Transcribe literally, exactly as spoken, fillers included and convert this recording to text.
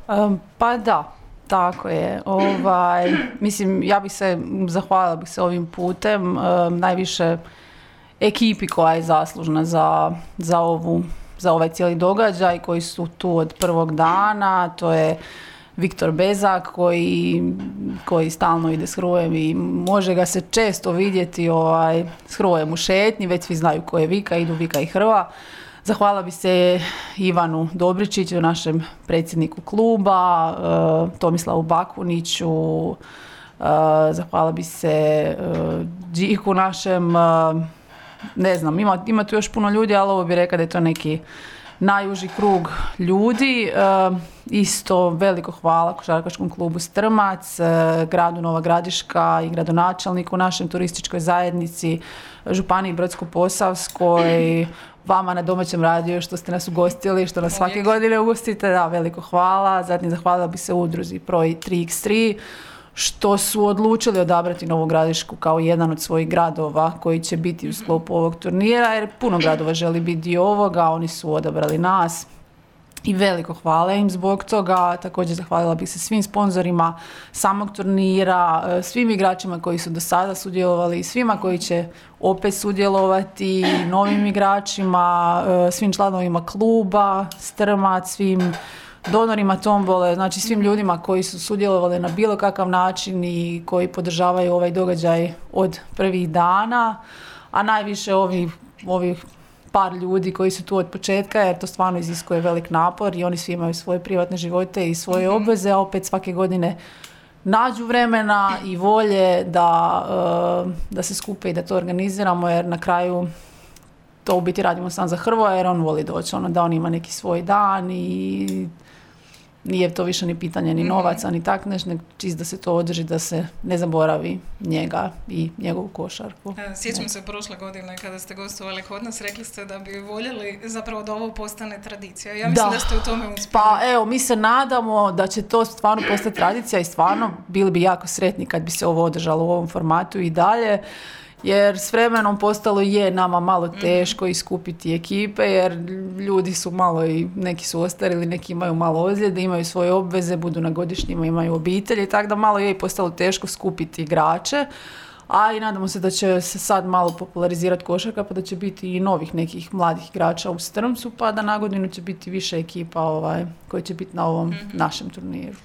Um, pa da, tako je. Ovaj, mislim, ja bih se, zahvalila bih se ovim putem, um, najviše ekipi koja je zaslužna za, za, ovu, za ovaj cijeli događaj, koji su tu od prvog dana. To je Viktor Bezak koji, koji stalno ide s Hrujem i može ga se često vidjeti ovaj, s Hrujem u šetnji, već svi znaju ko je Vika, idu Vika i Hrva. Zahvala bi se Ivanu Dobričiću, našem predsjedniku kluba, uh, Tomislavu Bakuniću, uh, zahvala bi se uh, Điku našem, uh, ne znam, ima, ima tu još puno ljudi, ali ovo bi rekla da je to neki najuži krug ljudi. Uh, isto veliko hvala Košarkaškom klubu Strmac, uh, gradu Nova Gradiška i gradonačelniku, našem turističkoj zajednici, Županiji Brodsko-posavskoj, vama na domaćem radiju što ste nas ugostili, što nas svake godine ugostite, da, veliko hvala. Zatim zahvalila bi se udruzi Pro tri iks tri što su odlučili odabrati Novu Gradišku kao jedan od svojih gradova koji će biti u sklopu ovog turnira, jer puno gradova želi biti dio ovoga, oni su odabrali nas. I veliko hvala im zbog toga. Također zahvalila bih se svim sponzorima samog turnira, svim igračima koji su do sada sudjelovali, svima koji će opet sudjelovati, novim igračima, svim članovima kluba Strmac, svim donorima tombole, znači svim ljudima koji su sudjelovali na bilo kakav način i koji podržavaju ovaj događaj od prvih dana, a najviše ovih, ovih par ljudi koji su tu od početka, jer to stvarno iziskuje velik napor i oni svi imaju svoje privatne živote i svoje mm-hmm. obveze, a opet svake godine nađu vremena i volje da, uh, da se skupe i da to organiziramo, jer na kraju to u biti radimo sam za Hrvoja, jer on voli doći, ono, da on ima neki svoj dan i nije to više ni pitanje ni novaca, ni tak nešto, nego čist da se to održi, da se ne zaboravi njega i njegovu košarku. Sjećam se prošle godine kada ste gostovali kod nas, rekli ste da bi voljeli zapravo da ovo postane tradicija. Ja mislim da, da ste u tome uspjeli. Pa evo, mi se nadamo da će to stvarno postati tradicija i stvarno bili bi jako sretni kad bi se ovo održalo u ovom formatu i dalje. Jer s vremenom postalo je nama malo teško iskupiti ekipe, jer ljudi su malo i neki su ostarili, neki imaju malo ozljede, imaju svoje obveze, budu na godišnjima, imaju obitelji, tako da malo je i postalo teško skupiti igrače. A i nadamo se da će se sad malo popularizirati košarka, pa da će biti i novih nekih mladih igrača u Strmcu, pa da na godinu će biti više ekipa ovaj, koji će biti na ovom mm-hmm. našem turniru.